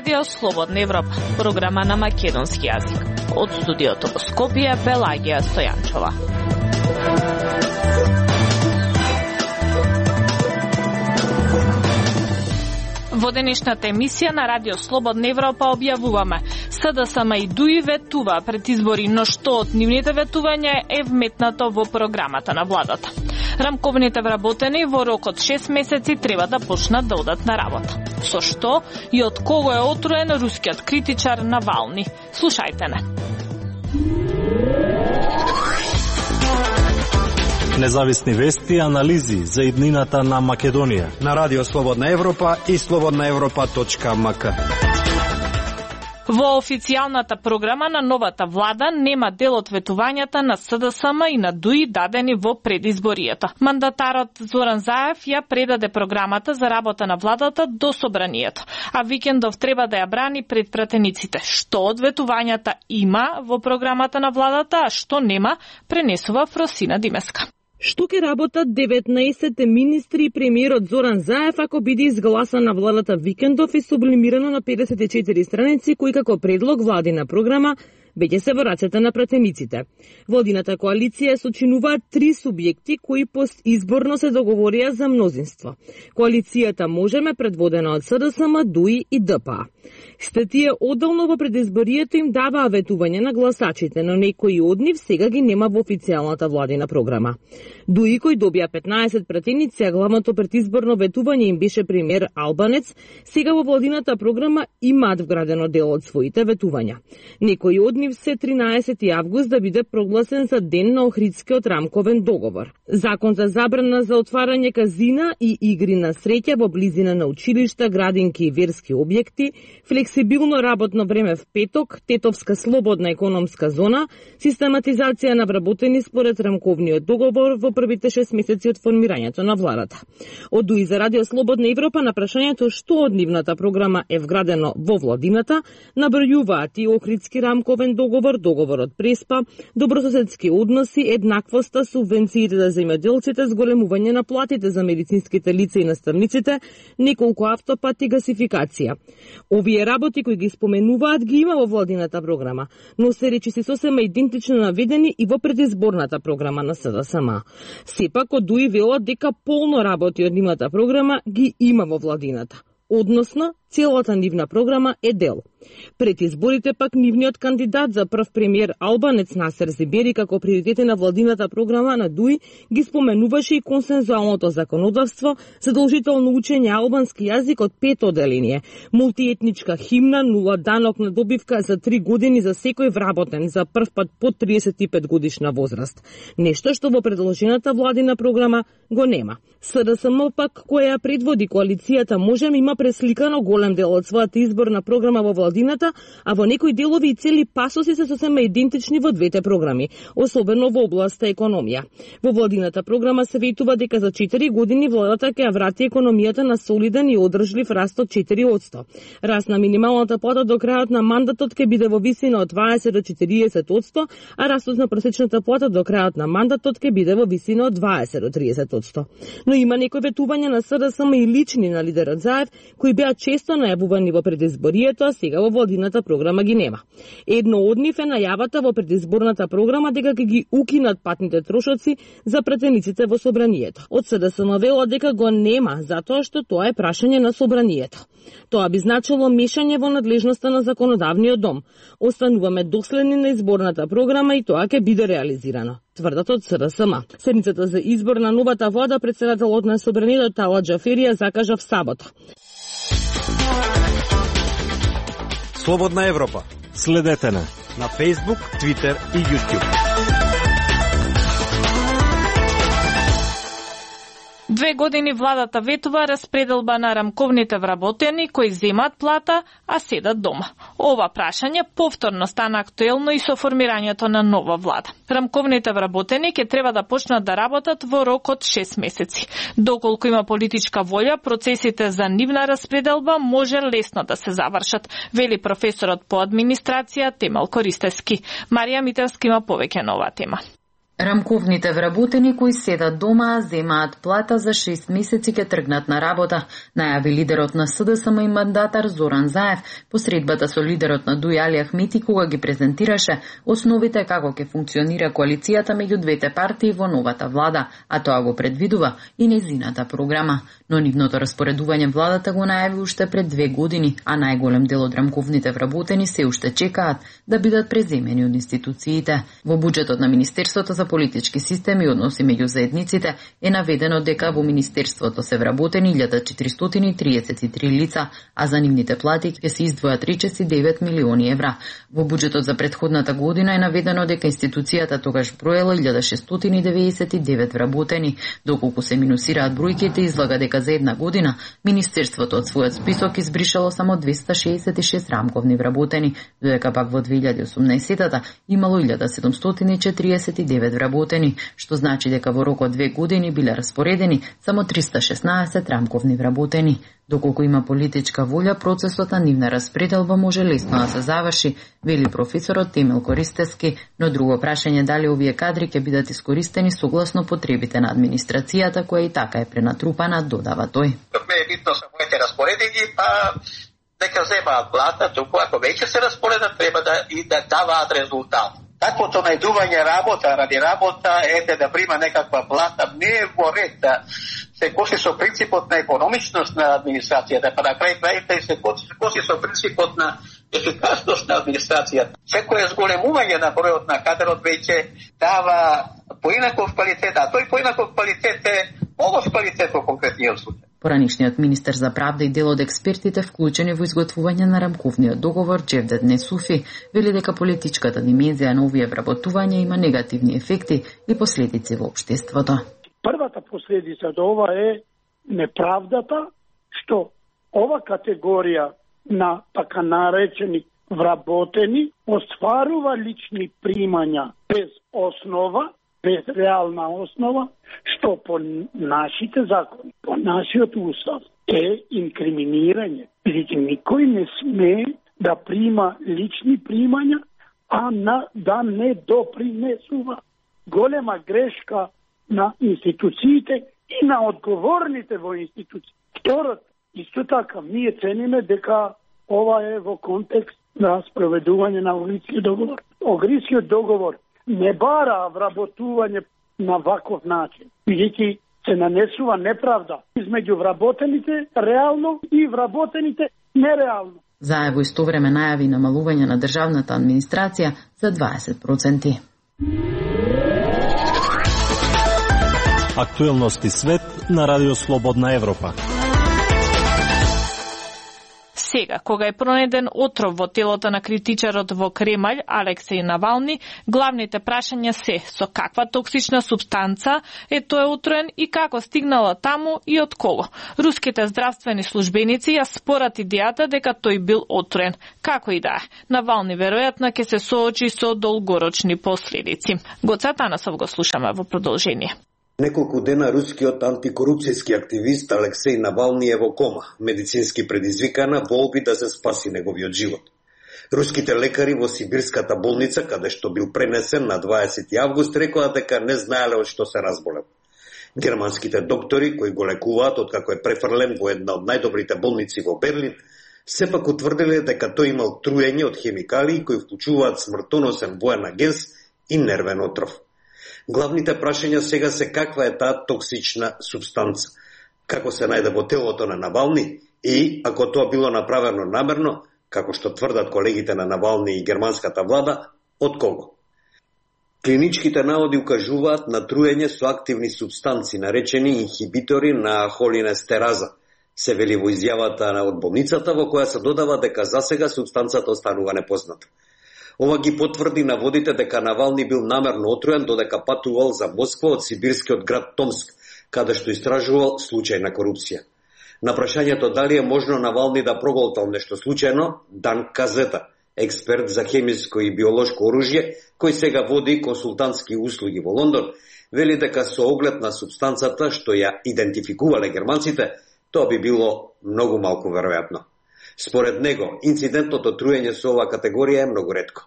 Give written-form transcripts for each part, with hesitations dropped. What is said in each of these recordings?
Радио Слободна Европа, програма на македонски јазик. Од студиото во Скопје, Пелагија Стојанчова. Во денешната емисија на Радио Слободна Европа објавуваме СДСМ и ДУИ ветува пред избори, но што од нивните ветувања е вметнато во програмата на владата. Рамковните вработени во рок од 6 месеци треба да почнат да одат на работа. Со што и од кого е отруен рускиот критичар Навални? Слушајте не. Независни вести и анализи за иднината на Македонија на Радио Слободна Европа и slobodnaevropa.mk. Во официјалната програма на новата влада нема дел од ветувањата на СДСМ и на ДУИ дадени во предизборието. Мандатарот Зоран Заев ја предаде програмата за работа на владата до собранието, а Викендов треба да ја брани пред пратениците. Што од ветувањата има во програмата на владата, а што нема, пренесува Фросина Димеска. Што ќе работат 19 министри и премиерот Зоран Заев ако биде изгласан на владата Викендов и сублимирано на 54 страници кои како предлог владина програма веќе се во рацете на пратениците. Владината коалиција сочинуваат 3 субјекти кои постизборно се договорија за мнозинство. Коалицијата Можеме, предводена од СДСМ, ДУИ и ДПА. Сите тие одделно во предизборието им даваа ветување на гласачите, но некои од нив сега ги нема во официјалната владина програма. ДУИ, кој добија 15 пратеници, а главното предизборно ветување им беше премиер Албанец, сега во владината програма имаат вградено дел од своите ветувања. Некои од нив се 13 август да биде прогласен за ден на Охридскиот рамковен договор. Закон за забрана за отварање казина и игри на среќа во близина на училишта, градинки и верски објекти, флексибилно работно време в петок, тетовска слободна економска зона, систематизација на вработени според рамковниот договор во првите 6 месеци од формирањето на владата. Од ДУИ за Радио Слободна Европа на прашањето што од нивната програма е вградено во владината, набројуваат и Охридски рамковен договор, договорот Преспа, добрососедски односи, еднаквоста, субвенциите за земјоделците, зголемување на платите за медицинските лица и наставниците, неколку автопати, гасификација. Овие работи кои ги споменуваат ги има во владината програма, но се речиси сосема идентично наведени и во предизборната програма на СДСМ. Сепак од ДУИ велат дека полно работи од нивната програма ги има во владината. Односно, целата нивна програма е дел. Пред изборите пак нивниот кандидат за прв премиер Албанец Насер Зибери како приоритети на владината програма на ДУИ ги споменуваше и консензуалното законодавство, задолжително учење албански јазик од 5 оделение, мултиетничка химна, нула данок на добивка за 3 години за секој вработен за прв пат под 35 годишна возраст. Нешто што во предложената владина програма го нема. СДСМ пак која ја предводи коалицијата Можеме има пресликано голем дел од својата изборна програма во владината, а во некои делови и цели пасоси се сосема идентични во двете програми, особено во областа економија. Во владината програма се ветува дека за 4 години владата ќе ја врати економијата на солиден и одржлив раст од 4%. Раст на минималната плата до крајот на мандатот ќе биде во висина од 20 до 40%, а растот на просечната плата до крајот на мандатот ќе биде во висина од 20 до 30%. Но има некои ветувања на СДСМ и лични на лидерот Заев, кои беа често најавувани во предизборието, а сега во владината програма ги нема. Едно од нив е најавата во предизборната програма дека ќе ги укинат патните трошоци за пратениците во собранието. Од СДСМ велат дека го нема, затоа што тоа е прашање на собранието. Тоа би значило мешање во надлежноста на законодавниот дом. Остануваме доследни на изборната програма и тоа ќе биде реализирано, тврдат од СДСМ. Седницата за избор на новата влада претседателот на собранието Тала Џаферија закажа в сабота. Слободна Европа. Следете на Facebook, Twitter и YouTube. 2 години владата ветува распределба на рамковните вработени кои земат плата, а седат дома. Ова прашање повторно стана актуелно и со формирањето на нова влада. Рамковните вработени ќе треба да почнат да работат во рок од 6 месеци. Доколку има политичка волја, процесите за нивна распределба може лесно да се завршат, вели професорот по администрација Темел Користевски. Марија Митевски има повеќе на оваа тема. Рамковните вработени кои седат дома, земаат плата за 6 месеци ке тргнат на работа, најави лидерот на СДСМ и мандатар Зоран Заев по средбата со лидерот на ДУИ Али Ахмети кога ги презентираше основите како ќе функционира коалицијата меѓу двете партии во новата влада, а тоа го предвидува и нејзината програма. Но нивното распоредување владата го најави уште пред 2 години, а најголем дел од рамковните вработени се уште чекаат да бидат преземени од институциите. Во буџетот на Министерството за политички системи и односи меѓу заедниците е наведено дека во Министерството се вработени 1433 лица, а за нивните плати ќе се издвојат речиси 9 милиони евра. Во буџетот за претходната година е наведено дека институцијата тогаш броела 1699 вработени, доколку се минусираат бројките излага дека за една година Министерството од својот список избришало само 266 рамковни вработени, додека пак во 2018-та имало 1749 вработени, што значи дека во рок од 2 години биле распоредени само 316 рамковни вработени. Доколку има политичка волја, процесот на нивна распределба може лесно да се заврши, вели професорот Темел Користевски, но друго прашање дали овие кадри ќе бидат искористени согласно потребите на администрацијата, која и така е пренатрупана, додава тој. Ме е битно се моите распоредени, па дека земаат плата, туку ако веќе се распоредат, треба да даваат резултат. Таквото најдување работа ради работа, да прима некаква плата, не е во ред да се коси со принципот на економичност на администрацијата, па на крај крајите се коси со принципот на ефикасност на администрацијата. Секој зголемување на бројот на кадрот веќе дава поинаков квалитет, а тој поинаков квалитет е лош квалитет во конкретниот случај. Поранишниот министер за правда и дел од експертите вклучени во изготвување на рамковниот договор Джевдет Несуфи вели дека политичката димензија на овие вработувања има негативни ефекти и последици во општеството. Првата последица од ова е неправдата што ова категорија на така наречени вработени остварува лични примања без основа, без реална основа, што по нашите закони, по нашиот устав е инкриминирање. Бидејќи никој не сме да прима лични примања, а да не допринесува. Голема грешка на институциите и на одговорните во институции. Второто, исто така, ние цениме дека ова е во контекст на спроведување на Огрискиот договор. Огрискиот договор не бара вработување на ваков начин, бидејќи се нанесува неправда измеѓу вработените реално и вработените нереално. Заево исто време најави намалување на државната администрација за 20%. Актуелности свет на Радио Слободна Европа. Сега, кога е пронеден отров во телото на критичарот во Кремљ Алексеј Навални, главните прашања се со каква токсична супстанца е тој отруен и како стигнала таму и од кого. Руските здравствени службеници ја спорат идејата дека тој бил отруен. Како и да е, Навални веројатно ќе се соочи со долгорочни последици. Гоце Танасов го слушаме во продолжение. Неколку дена рускиот антикорупцијски активист Алексеј Навални е во кома, медицински предизвикана во опит да се спаси неговиот живот. Руските лекари во Сибирската болница, каде што бил пренесен на 20 август, рекоа дека не знаеле од што се разболел. Германските доктори, кои го лекуваат откако е префрлен во една од најдобрите болници во Берлин, сепак утврдиле дека тој имал труење од хемикалии кои вклучуваат смртоносен воен агенс и нервен отров. Главните прашања сега се каква е таа токсична супстанца, како се најде во телото на Навални и, ако тоа било направено намерно, како што тврдат колегите на Навални и германската влада, од кого? Клиничките наводи укажуваат на труење со активни супстанци, наречени инхибитори на холинестераза, се вели во изјавата од болницата, во која се додава дека засега супстанцата останува непозната. Ова ги потврди наводите дека Навални бил намерно отруен додека патувал за Москва од сибирскиот град Томск, каде што истражувал случај на корупција. На прашањето дали е можно Навални да проголтал нешто случајно, Дан Казета, експерт за хемиско и биолошко оружје, кој сега води консултантски услуги во Лондон, вели дека со оглед на супстанцата што ја идентификувале германците, тоа би било многу малку веројатно. Според него, инцидентното труење со оваа категорија е многу ретко.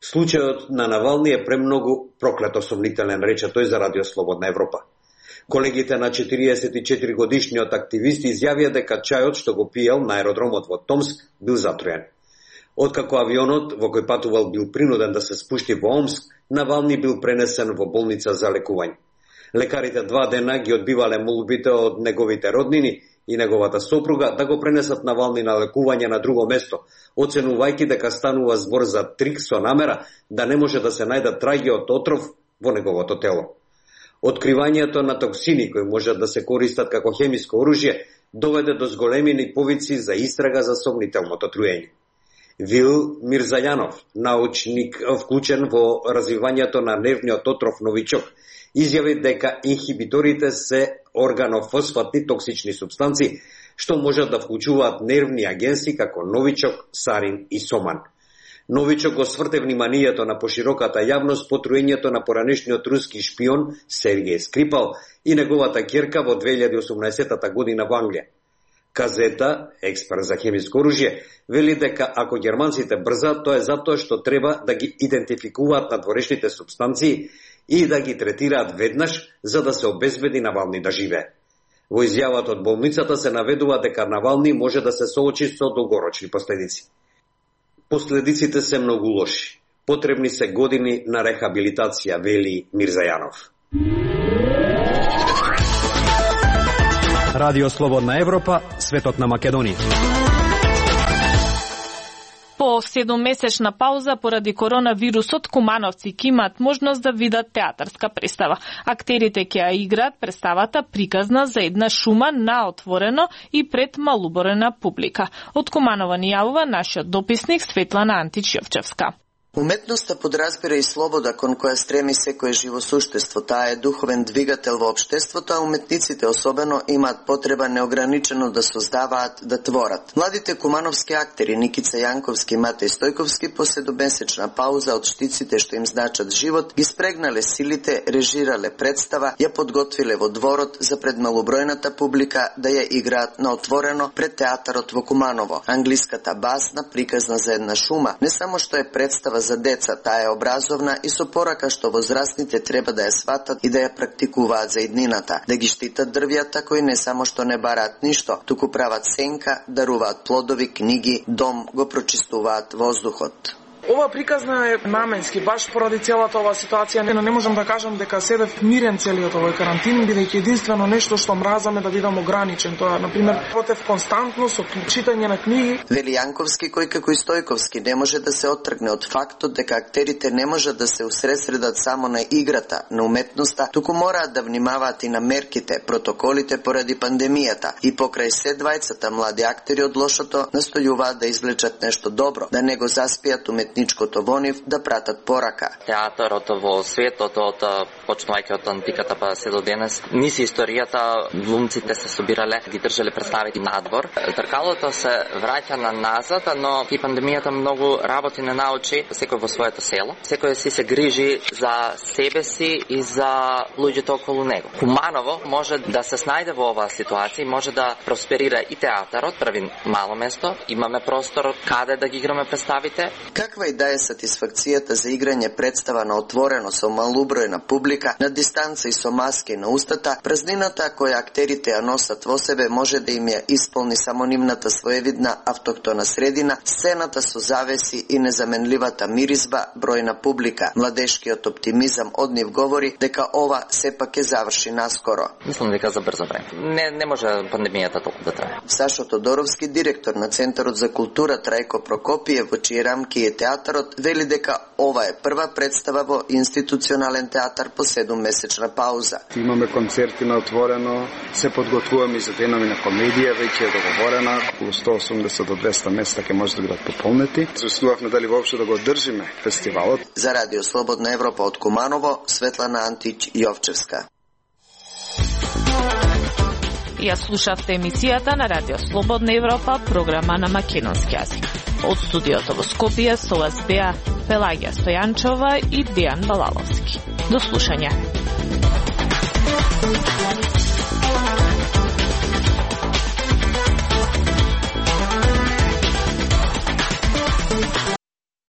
Случајот на Навални е премногу проклето сомнителен, рече тој за Радио Слободна Европа. Колегите на 44 годишниот активист изјавија дека чајот што го пиел на аеродромот во Томск бил затроен. Откако авионот во кој патувал бил принуден да се спушти во Омск, Навални бил пренесен во болница за лекување. Лекарите 2 дена ги одбивале молбите од неговите роднини и неговата сопруга да го пренесат Навални на лекување на друго место, оценувајќи дека станува збор за трик со намера да не може да се најдат траги од отров во неговото тело. Откривањето на токсини кои можат да се користат како хемиско оружје доведе до зголемени повици за истрага за сомнителното труење. Вил Мирзајанов, научник вклучен во развивањето на нервниот отров новичок, изјави дека инхибиторите се органофосфатни токсични супстанции што можат да вклучуваат нервни агенси како новичок, сарин и соман. Новичок го сврте вниманието на пошироката јавност по труењето на поранешниот руски шпион Сергеј Скрипал и неговата ќерка во 2018 година во Англија. Казета, експерт за хемиско оружје, вели дека ако германците брзаат, тоа е затоа што треба да ги идентификуваат надворешните супстанции и да ги третираат веднаш за да се обезбеди Навални да живее. Во изјавата од болницата се наведува дека Навални може да се соочи со долгорочни последици. Последиците се многу лоши. Потребни се години на рехабилитација, вели Мирзајанов. Радио Слободна Европа, светот на Македонија. По 7-месечна пауза поради коронавирусот, кумановци ќе имаат можност да видат театарска представа. Актерите ќе ја играат представата приказна за една шума на отворено и пред малобројна публика. Од Куманово ни јавува нашиот дописник Светлана Антич Јовчевска. Уметноста подразбира и слобода кон која стреми секое живо суштество. Таа е духовен двигател во општеството, а уметниците особено имаат потреба неограничено да создаваат, да творат. Младите кумановски актери Никица Јанковски и Матеј Стојковски по 7-месечна пауза од штиците што им значат живот, ги спрегнале силите, режирале представа, ја подготвиле во дворот за пред малобројната публика да ја играат на отворено пред театарот во Куманово. Англиската басна приказна за една шума не само што е представа за деца, таа е образовна и со порака што возрастните треба да ја сватат и да ја практикуваат за иднината, да ги штитат дрвјата кои не само што не бараат ништо, туку прават сенка, даруваат плодови, книги, дом, го прочистуваат воздухот. Ова приказна е наменски, баш поради целата ова ситуација. Не можам да кажам дека седев мирен целиот овој карантин, бидејќи единствено нешто што мразам е да бидам ограничен. Тоа, например, против константно со читање на книги. Вели Јанковски, кој како и Стојковски не може да се оттргне од фактот дека актерите не можат да се усредсредат само на играта, на уметноста, туку мораат да внимаваат и на мерките, протоколите поради пандемијата. И покрај се двајцата млади актери од лошото настојуваат да извлечат нешто добро, да не го заспијат уметничкото во нив, да пратат порака. Театарот во светот, почнувајќи од антиката па се до денес, низ историјата глумците се собирале, ги држале представи надвор. Тркалото се враќа на назад, но и пандемијата многу работи не научи, секој во своето село. Секој си се грижи за себе си и за луѓето околу него. Куманово може да се снајде во оваа ситуација, може да просперира и театарот, прави мало место, имаме простор каде да ги играме представите. Каква и да е сатисфакцијата за играње представа на отворено со малобројна публика, на дистанца и со маски на устата, празнината која актерите ја носат во себе може да им ја исполни само нивната своевидна автохтона средина, сцената со завеси и незаменливата миризба, бројна публика. Младешкиот оптимизам од нив говори дека ова сепак ќе заврши наскоро. Мислам дека за брзо време. Не може пандемијата толку да трае. Сашо Тодоровски, директор на Центарот за култура Трајко Прокопиев, во чии рамки е театарот, вели дека ова е прва представа во институционален театар по 7-месечна пауза. Имаме концерти на отворено, се подготвуваме за денови на комедија, веќе е договорена, околу 180 до 200 места ќе може да бидат пополнети. Застувавме дали воопшто да го одржиме фестивалот. За Радио Слободна Европа од Куманово, Светлана Антич Јовчевска. Ја слушавте емисијата на Радио Слободна Европа, програма на македонски јазик. Од студиото во Скопје со вас беа Пелагија Стојанчова и Дејан Балаловски. До слушање.